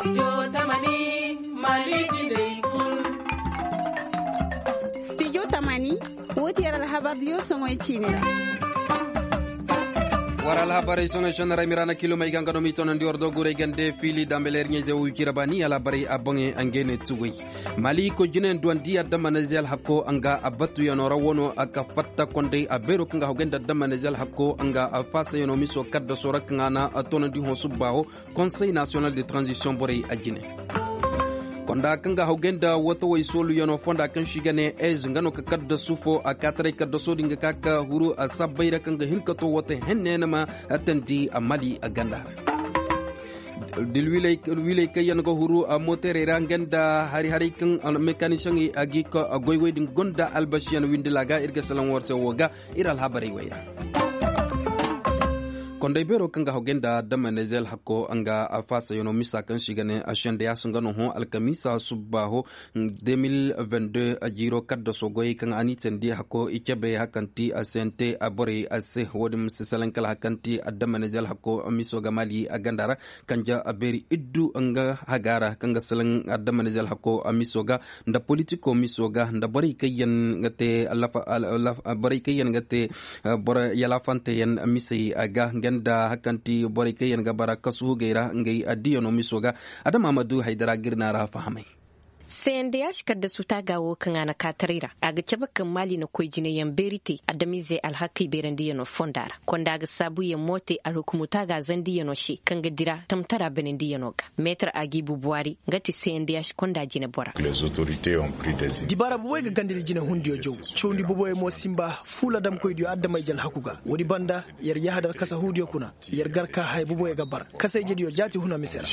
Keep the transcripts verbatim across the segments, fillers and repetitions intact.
Studio tamani, woo ti yer alhabar diyo soŋoy ciini ra. War alhabarey soŋoy sennarey miraana kilomey ga nga no m'i tonandi war doguray gande fiili dambeler ɲayze wo wicira baani alhabarey a boŋey a ngey ne tugey. Mali koy jinayaŋ duwandi adamanize alhakko nga a batuyaŋo ra wano a ka fatta konday a beero kaŋ ga hawgay nda adamanize alhakko nga a faasayano miso kaddaso ra kaŋ a na a tonandi hõ subbaaho. Konsey nasiyonal de tranzisiyoŋ borey a jine. Konda kaŋ ga hawgay nda wata way sooluyaŋo fonda kaŋ se i ga ne ez nga no ka kaddasu fo a kaataray kaddaso din ga ka ka huru a sabbay ra kaŋ ga hin ka to wata henne na ma tandi a mali a ganda ra. Dilwiley kaŋ yaŋ ga huru a mooterey ra nga nda hari haray kaŋ mekanisiyeŋey a ga i ka goy wey din gonda albasiyaŋ windila ga ir ga salaŋ war se wo ga. Ir alhabarey wey ra. Konday beero kaŋ ga hawgay nda damanize alhakko nga a faasayano misa kaŋ se i ga ne a sendeyas nga no hõ alkamiisa subbaaho. De mil vingt deux a jiiro kaddaso goyey kaŋ a n'i teendi hakko i cabe hakanti a sente a borey a se wo-din ma si salaŋ kala hakanti adamanize alhakko miso ga mali a ganda ra. Kanja a beeri iddu nga haga ra kaŋ ga salaŋ adamanize alhakko miso ga nda politiko miso ga nda borey kaŋ yaŋ ga te borey kaŋ yaŋ ga te yalaafanteyaŋ misey a ga nga nda hakanti borey kaŋ yaŋ ga bara kasu hugey ra ngey addiyano miso ga. Adama ma du haydara ga ir na ra fahamay. Sendeyaš kaddasu taaga wo kaŋ a na kaataray ra a ga cabe kaŋ maali na koy jinayaŋ beeri te adamiizey alhakey beerandiyano fonda ra konda ga saabuyaŋ mo te alhukumu taaga zandiyano se kaŋ ga dira tamtara benendiyano ga. Meetar agibu buwari nga ti sendeyaš konda jinebora. Dibaara bobey ga gandadi jinehundiyo jaw. Cawndi bobey mo sinba fuula damkoydiyo adamay jalhaku ga woodi banda yer yahadar kasahuudiyo kuna. Yer gar ka haya boboyo ga bar kasayjediyo jaati huna mise ra.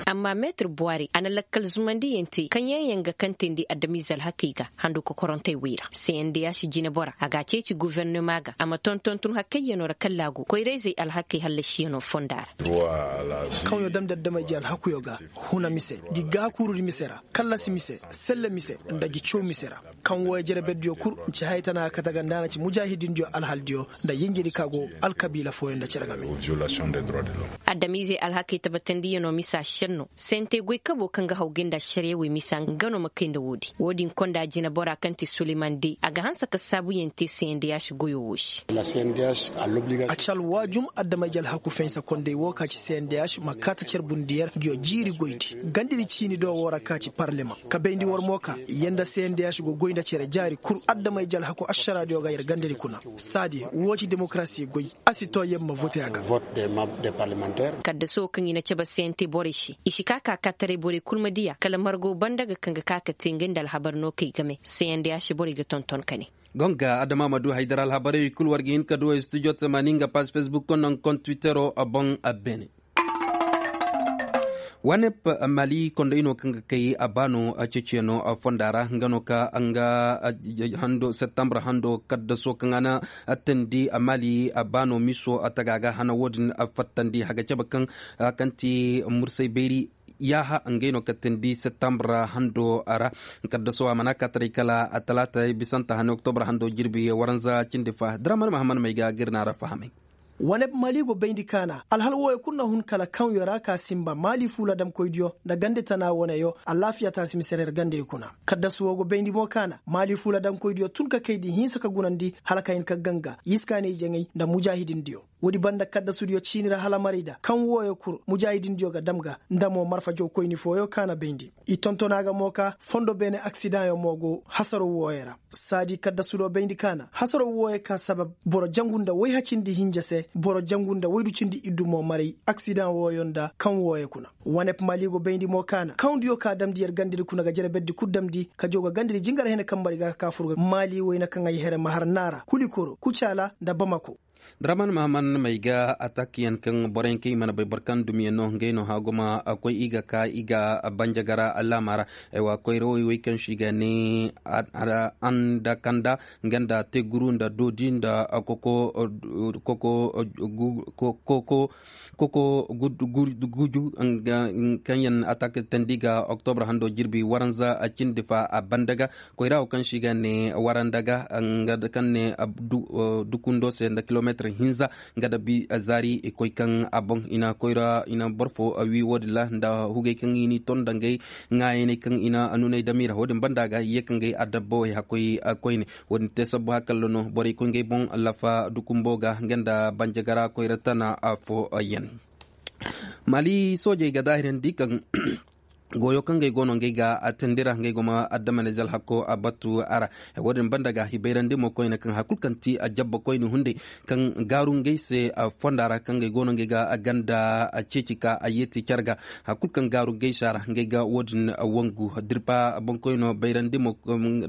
Amma meetir buwari a na lakkal zumandiyaŋ te kaŋ yaŋ yaŋ ga kantandi adamiize alhakey ga handu kokorontey wey ra sendeyaš jinebora a ga a ceeci gufernema ga a ma tonton tun hakkayyanoo ra kallaagu koyrayzey alhakey hallasiyano fonda ra. Kaŋyo damndi adamay ji alhakuyo ga huna mise gi gaakuurudi mise ra kallasi mise selle mise nda gi caw mise ra. Kaŋ wooyo jere berdiyo kul nci haya tana kate ga nda a na ci mujaahidindiyo alhaldiyo nda yinjedi ka go alkabiila fooyo nda cere game. Adamiizey alhakey tabatandiyanoo misa šenno sente goy kaboo kaŋ ga haw gay nda ašariya wey misa nga no ma kay nda woodi. Woodi nkonda jineboraa kaŋ ti suleman de a ga hanse ka saabuyaŋ te sendeyaš goyoo woo se. A ci alwaajum adamay ji alhaku fensa konday woo ka ci sendeyaš ma kaa ta cer bundiyer nguyo jiiri goydi gandidi ciini do woo ra ka ci parlemaŋ ka bayndi war mo ka yer nda sendeyaš go goy nda cere jaari kul adamay ji alhaku ašaraadiyo ga yer gandadi kuna. Saadi woo ci demokarasi goy. A si too yer ma vote a ga. Kaddaso kaŋ i na cabe sente borey se i si kaa ka kaataray borey kul ma diya kala margo banda ga kaŋ ga kaa ka te ngey nda alhabar no kay game sendeyaš borey ga tonton ka ne. Gonga adama ma du haydara alhabarey kul war ga hin ka du studio tamaani nga paas fesbuk naŋ kon twittero a boŋ a beene. Wanep mali konday no kaŋ ga kay a baano a ceeciyaŋo fonda ra nga no ka nga hando septembre hando kaddaso kaŋ a na tandi a mali a baano miso a taga ga hana woodin a fattandi haga cabe kaŋ kaŋ ti mursay bayri. Yaaha ngey no kaŋ tandi septembre hando ra. Kaddaso a mana kaataray kala a talaata bisanta hane oktobre hando jirbi waranza cindi fa draman mahaman may ga ga ir na ra fahamay. Wane mali go bayndi kaana alhal wooyo kul na hun kala kaŋyo ra ka sinba mali fuula damkoydiyo nda gande tana woneyo. Alaafiya taasi mise ra yer gandey kuna. Kaddasu woo go bayndi mo kaana mali fuula damkoydiyo tun ka kayndi hinsa ka gunandi hala ka hin ka ganga iskaaney jaŋay nda mujaahidindiyo. Woodi banda kaddasudiyo ciini ra hala maray da kaŋ wooyo kul mujaahidindiyo ga dam ga nda mo marfa jawkoyni fooyo kaana bayndi. I tonton a ga mo ka fondo beene aksidaŋyo mo go hasaro wooyo ra. Saadi kaddasudo bayndi kaana hasaro wooyo ka sabab boro jangu nda wayha cindi hinja se boro jangu nda waydu cindi iddu mo maray aksidaŋ wooyo nda kaŋ wooyo kuna. Wanep mali go bayndi mo kaana kaŋdiyo ka damndi yer gandadi kuna ga jere berdi kul damndi ka jaw ga gandadi jingar hene kaŋ mari ga ka ka fur ga mali wayna kaŋ ay here ma har naara kulikoro kucaala nda bamako. Draman mahaman may ga atak yaŋ kaŋ boroyaŋ kaŋ i mana bay boro kaŋ dumiyaŋ no ngey no haguma koy i ga ka i ga banjagara laama ra. Aywa koyrawey wey kaŋ se i ga ne andakanda nga nda teguru nda doodi nda koko koko koko guju kaŋ yaŋ atak tandi ga oktobre hando jirbi waranza cindi fa a banda ga koyra wo kaŋ se i ga ne waranda ga nga kaŋ ne dukundo se nda kilomeetir. Hinza nga da bi zaari i koy kaŋ a boŋ i na koyra i na boro fo wi wo- din ra nda hugey kaŋ i n'i ton nda ngey ŋaayaney kaŋ i na nuney damiira wo- din banda ga i ye ka ngey adabba wey hakkoy koyne. Wo- din te sabbu hakalla no borey koy ngey boŋ lafa dukumbo ga nga nda banjagara koyra tana fo yaŋ. Mali soojey ga daahirandi kaŋ goyo kaŋ ngey go no ngey ga a tindi ra ngey go ma adama ne zalhako a batu a ra. Wo- din banda ga i bayrandi mo koyne kaŋ hari kulu kaŋ ti a jabba koyne hunday kaŋ gaaru ngey se fonda ra kaŋ ngey go no ngey ga a ganda a ceeci ka a yeeti care ga. Hari kulu kaŋ gaaru ngey se a ra ngey ga wo- din wangu dirpa boŋkoyno bayrandi mo.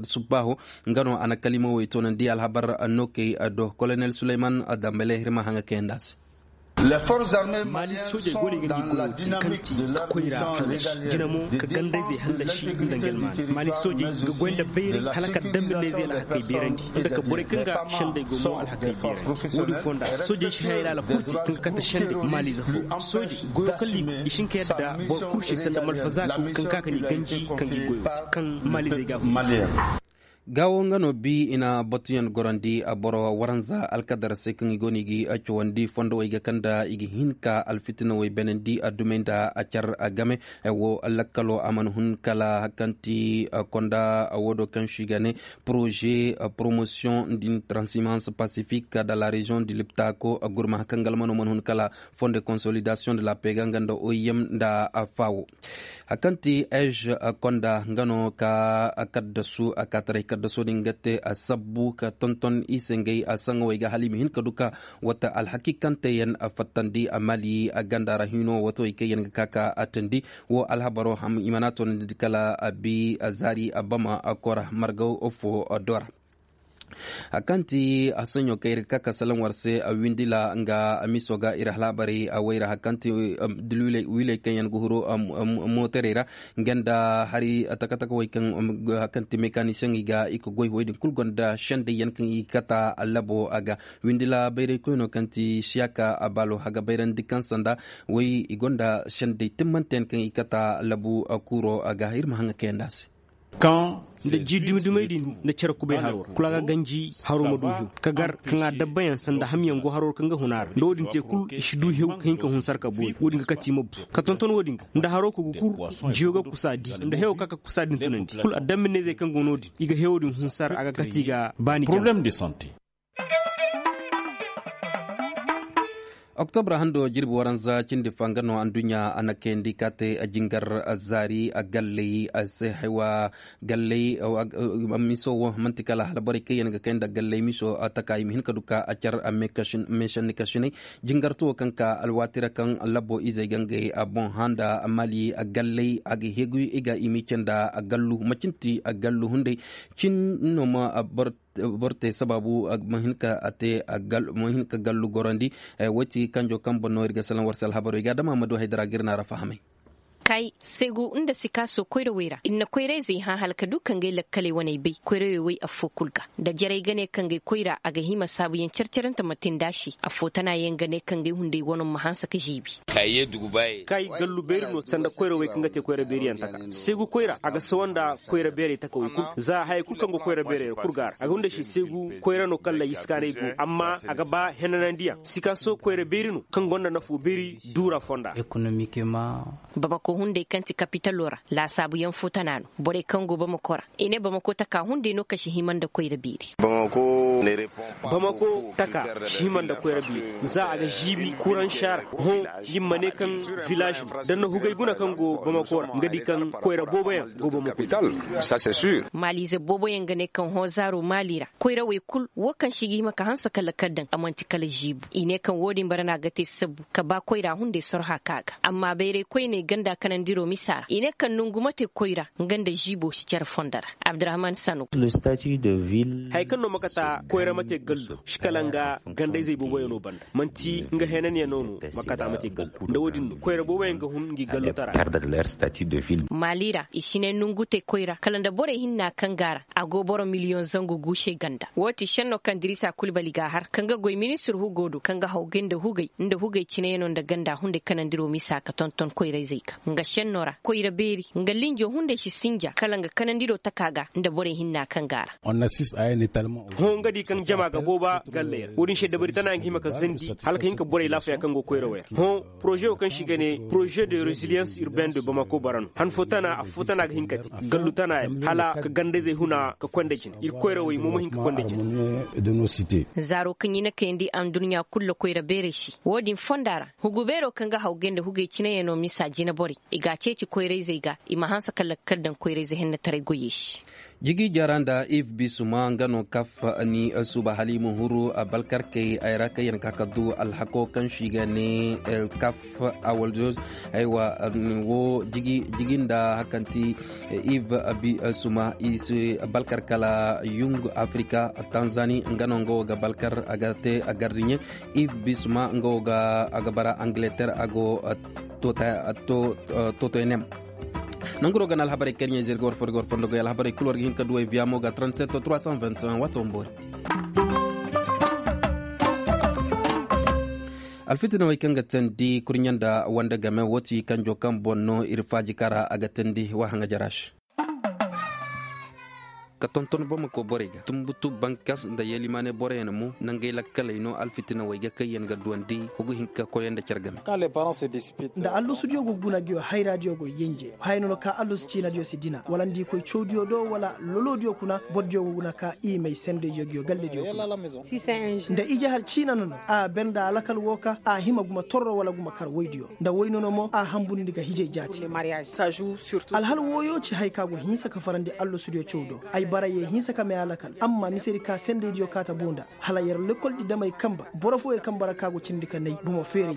Subbaho nga no a na kalimawey toonandi alhabar nokey do kolonel suleyman dambale hirma haŋa kayandi a se. Maali soojey go no i ga ngi goyo te kaŋ ti koyra hallasi jina mo ka gandayzey hallasi nda ngelmaani maali soojey ga goy nda bayray hala ka dambe neezey alhakey beerandi nda ka borey kaŋ ga sendey go mo alhakey beerandi. Wo- din fonda soojey si hayay laala kul te kaŋ ga kate sendey maaliize fo. Soojey goyo kaŋ liiko i si hin ka yadda boro kul se sanda malfazaako kaŋ ka ka ni ganji kaŋ ga i goyo te kaŋ maaliizey ga a fo. Gaawo nga no bi i na batuyaŋ gorandi boro waranza alkadar se kaŋ i go no i ga cawandi fondowey ga kaŋ nda i ga hin ka alfitinawey beenandi addumey nda a car game. Wo lakkalo a mana hun kala hari kaŋ ti konda wo do kaŋ se i ga ne projet promotion d'une transhumance pacifique de la région du liptako gurma hari kaŋ ga almano mana hun kala fond de consolidation de la pega nga nda oim nda fawo. Hari kaŋ ti ej konda nga no ka kaddasu a kaataray kaddaso din ga te a sabbu ka tonton i se ngey a saŋawey ga hala i ma hin ka du ka wata alhaki kaŋ te yaŋ a fattandi a mali a ganda ra hino wato i kaŋ yaŋ ga ka ka a tandi. Wo alhabaro ham i mana toonandi kala a bi a zaari a bama a kora margaw fo do ra. Hari kaŋ ti a soɲo kaŋ ir ga ka ka salaŋ war se a windila nga a miso ga ir alhabarey a wayra hari kaŋ ti wiley kaŋ yaŋ ga huru mootarey ra nga nda hari taka-takawey kaŋ hari kaŋ ti mekanisiyeŋey ga i ga goy wey din kulu gonda sendey yaŋ kaŋ i ga kata labo a ga. Windila bayray koyno kaŋ ti siyaka a baalo a ga bayrandi kaŋ sanda way i gonda sendey timmante yaŋ kaŋ i ga kata labu kuuro a ga ir ma haŋa kayandi a se. Nda ji dumi-dumey din nda cere kubay haro ra kula ga ganji haro ma du hew ka gar kaŋ a dabbayaŋ sanda hamyaŋ go haro ra kaŋ ga hun a ra nda wo- din te kulu i si du hew ka hin ka hun sarka boori wo- din ga kati mabbu ka tonton wo- din ga nda haro ka ga kur jiyo ga kusa di nda hewo ka ka kusa din tunandi kulu adammineyzey kaŋ go no- din i ga hewo din hun sar a ga kati ga baani problème de santé. Oktobra hando jirbi waranza cindi fa nga no anduɲɲa a na kayandi ka te jingar zaari a galley a se haywa galley. Miso wo manti kala hala borey kaŋ yaŋ ga kay nda galley miso a taka i ma hin ka du ka a car a meesanni kasinay jingarto wo kaŋ ka alwaati ra kaŋ labo izey ga ngey a boŋ handa mali a galley a ga heeguy i ga i ma i canda a gallu macin ti a gallu hunday cin no ma boro te sabaabu ma hin ka gallu gorandi. Woy ti kanjo kaŋ boŋ no ir ga salaŋ war se alhabarey ga dama ma du haydara ga ir na ra fahamay. Kay seegu nda sikaaso koyrawey ra ir na koyrayzey hã hala ka du ka ngey lakkaley waney bay koyrawey woy affoo kul ga nda jarey ga ne ka ngey koyra a ga hima saabuyaŋ car-carante ma te nd'a se affoo tana yaŋ ga ne ka ngey hunday wano ma hanse ka žiibi. Kay gallu beeri no sanda koyrawey kaŋ ga te koyra beeriyaŋ taka seegu koyra a ga sawa nda koyra beerey takawey kul za haya kul kaŋ go koyra beerey ra kul ga a ra a ga hunda se seegu koyra no kaŋ ra iskaanay go amma a ga ba henanandiyaŋ sikaaso koyra beeri no kaŋ gonda nafo beeri duura fonda. Bamako hunday kaŋ ti kapitalo ra laasaabuyaŋ fo tana no borey kaŋ go bamako ra i ne bamako taka hunday no kaŋ si hima nda koyra beeri. Bamako taka si hima nda koyra beeri za a ga žiibi kuraŋ saara hõ. Nin ma ne kaŋ vilaaž da na hugay guna kaŋ go bamako ra nga di kaŋ koyra booboyaŋ go bamako. Maaliize booboyaŋ ga ne kaŋ hõ zaaro maali ra koyrawey kul wo kaŋ se i ga hima ka hanse ka lakkal daŋ a man'ti kala žiibu i ne kaŋ wo-din bara no a ga te sabbu ka ba koyra hunday sorha ka ga amma bayray koyney ganda kanandiro misa ra i ne kaŋ nongu ma te koyra nga nda žiibo si care fondo ra. Abdurahman sanu. Haya kaŋ no ma kata koyra ma te gallo si kala nga gandayzey booboyaŋo banda man'ti nga heenanyaŋo no ma kata ma te gallo nda wo-din no koyra booboyaŋ ga hun ngi gallotara. Maali ra i si ne nongu te koyra kala nda borey hinna kaŋ ga a ra a go boro miliyoŋ zangu gu se ganda wo-ti šenno kaŋ dirisa kulbali ga a har kaŋ ga goy ministir hugo do kaŋ ga hawgay nda hugay nda hugay cineyaŋo nda ganda hunday kanandiro misa ka tonton koyrayzey ga. Nga senno ra koyra beeri nga linjo hunday si sinja kala nga kanandi do taka ga nda borey hinna kaŋ ga a ra. Hõ nga di kaŋ jama ga booba galley ra wo-din se dabari tana nga hima ka sandi hala ka hin ka borey laafaya kaŋ go koyra wo yaŋ hõ. Poroze wo kaŋ se i ga ne poroze de reziliyans urbain de bamako bara no han fo tana affo tana ga hin ka te gallu tana yaŋ hala ka gandayzey huna ka koy nda jine ir koyra wo i mo ma hin ka koy nda jine. Zaaro kaŋ i na kayandi anduɲɲa kulu koyra beerey se wo-din fonda ra hugu beero kaŋ ga hawgay nda hugey cinayaŋ no misa jine borey i ga a ceeci koyrayzey ga i ma hanse ka lakkal daŋ koyrayze hennetaray goyey se. Jigi jara nda iv bisuma nga no kaf ni suba hala i ma huru balkarkey ay ra kaŋ yaŋ ka ka du alhako kaŋ se i ga ne kaf awaldos. Aywa, wo jigi nda hakanti iv bisuma i si balkar kala yung afrika tanzani nga no nga wo ga balkar a ga te a gardiɲe. Iv bisma nga wo ga a ga bara angleter a go totoynem. Nanguro ga na alhabarey karɲey zirga war fo daga war fo nda goy alhabarey kul war ga hin ka duwey viyamo ga trente-sept trois cent vingt-et-un wato wamboori. Alfitinawey kaŋ ga teendi kurɲe nda wande game wo ti kanjo kaŋ boŋ no ir faaji kara a ga teendi wa haŋa jara se. Ka tonton bamako borey ga tumbutu bankas nda yelimaane boroyaŋ mo nangey lakkaley no alfitinawey ga kaŋ yaŋ ga duwandi hugu hinka koyey nda care game. Nda allusudiyo go guna ga yo hayraadiyo go yenje haya no no ka allusu ciinadiyo si dina wala nda i koy cawdiyo do wala lolodiyo kuna bordiyo go guna ka i may sendey yogiyo gallediyo kuna. Nda ije har ciina no no a ber nda a lakal wo ka a hima guma torro wala guma kar woydiyo nda woy no no mo a hambundi ga hijey jaati. Alhal wooyo ci hay ka go hinsa ka farandi allosudiyo caw do. Ay bara ye hinsa ka may a lakal amma misedi ka sendeydiyo kaata buu nda hala yer lekoldi damey kanba boro fooyey kanba ra ka go cindi ka nay bomo feerey.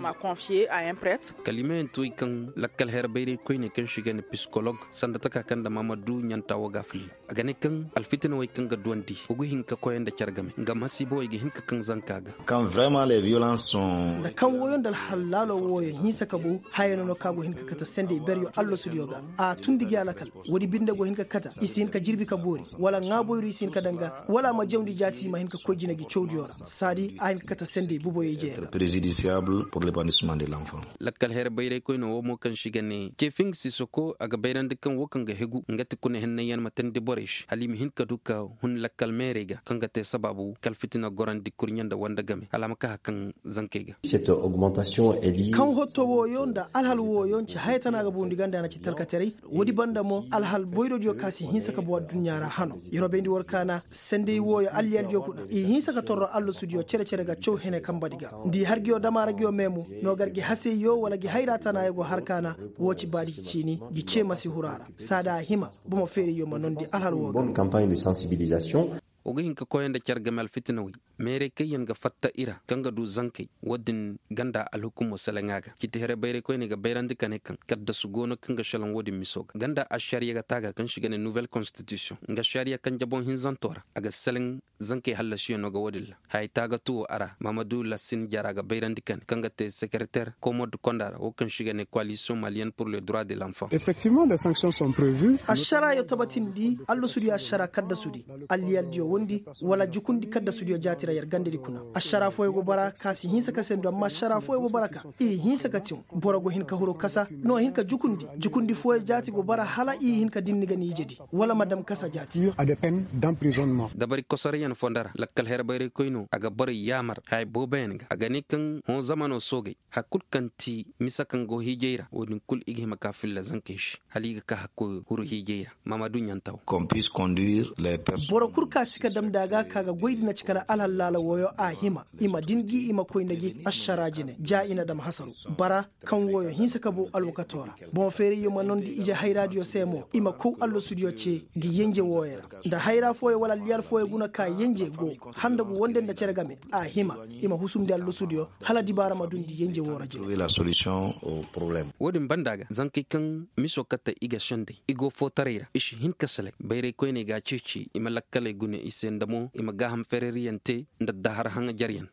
Kalimayaŋ to i kaŋ lakkal her bayray koyney kaŋ se i ga ne pisikolog sanda taka kaŋ nda maamadu ɲanta wo ga a filla. A ga ne kaŋ alfitinawey kaŋ ga duwandi wa ga hin ka koyey nda care game nga masiibawey ga hin ka kaŋ zanka ga. Nda kaŋ wooyo nda alhal laalo wooyo hinsa ka bow haya no no kaŋ a go hin ka kate sendey beryo allasudiyo ga a tundi gi a lakal. Woodi binde go hin ka kate i si hin ka jirbi ka boori wala ŋaaboyru i si hin ka daŋ ga wala a ma jawndi jaati i ma hin ka koy jine gi cawdiyo ra. Saadi a hin ka kate sendey buboyey jeeyaŋ ra. Lakkal here bayraykoyne wo mo kaŋ se i ga ne ceefiŋ sisoko a ga bayrandi kaŋ wo kaŋ ga hegu nga ti kuna hennayyaŋ ma teendi borey se hala i ma hin ka du ka hun lakkal meerey ga kaŋ ga te sabaabu kala fitina gorandi kurɲe nda wande game hala a ma ka hari kaŋ zankey ga. Kaŋ hotto wooyo nda alhal wooyo nci haya tana ga bundi ganda na ci talkataray. Woodi banda mo alhal boyrodiyo kaŋ a si hinsa ka bow adduɲɲa ra hano. Yer wo bayndi war kaana sendey wooyo alliyaldiyo kuna i hinsa ka torro allasudiyo cere-cere ga caw hene kambadi ga nda i har nguyo dama ra nguyo meemu. No gar gi haseyyo wala gi hayra tanayo go har kaana. Woo ci baadi ci ciini gi cee ma si huru a ra saada a hima. Bomo feerayyo ma noondi alhal woo ga. Wa ga hin ka koyey nda care game alfitinawey meerey kaŋ yaŋ ga fatta i ra kaŋ ga du zankey. Woodin ganda alhukumo seleŋa ga citi here bayraykoyney ga bayrandi ka ne kaŋ kaddasu go no kaŋ ga šelaŋ woodin miso ga ganda ašariya ga taaga kaŋ se i ga ne nuwel konstitisiyoŋ nga ašariya kaŋ jaboŋ hinzanto ra a ga seleŋ. Zankey hallasiyaŋo ga woodin ra haya taagatu wo a ra mahamadu lasin jara ga bayrandi ka ne kaŋ ga te sekereter komod konda ra wo kaŋ se i ga ne koalisiyoŋ maliyen pur le droit de lanfan. Ašaraayo tabatindi allasudiyo ašaraa kaddasudi alliyaldiyo wondi wala jukundi kaddasudiyo jaati ra yer gandadi kuna. Ašaraa fooyo go bara ka si hinsa ka sendu amma ašaraa fooyo go bara ka i hinsa ka tiŋ. Boro go hin ka huru kasa no hin ka jukundi jukundi fooyo jaati go bara hala i hin ka dinni ga ni ijedi wala ma dam kasa jaati. Dabari kosorayyaŋ fondo ra lakkal here bayraykoyno a ga borey yaamar haya booboyaŋ ga a ga ne kaŋ hõ zamano soogey. Hari kul kaŋ ti misa kaŋ go hiijay ra woodin kul i ga hima ka filla zankey se hala i ga ka hakkoyo huru hiijay ra. Maamadu ɲantaw. Boro kul ka si ka damndi a ga ka ga goy din a ci kala alhallaala wooyo a hima i ma din gi i ma koy nda gi ašaraa jine ja i na dam hasaru. Bara kaŋ wooyo hinsa ka bow alwakato ra. Boŋ feerayyo ma noondi ije hayraadiyo se mo i ma kow allasudiyo ce gi yenje wooyo ra. Nda hayra fooyo wala alliyal fooyo guna ka yenje go handagu wonde nda cere game a hima i ma husumndi allasudiyo. Hala dibaara ma dundi yenje woo ra jine. Wo-din banda ga zankey kaŋ miso kate i ga sendey i go footaray ra i si hin ka selek bayraykoyney ga a ceeci i ma lakkaley gune i se nda mo i ma gaaham fereriyaŋ te nda dahar haŋajaryaŋ.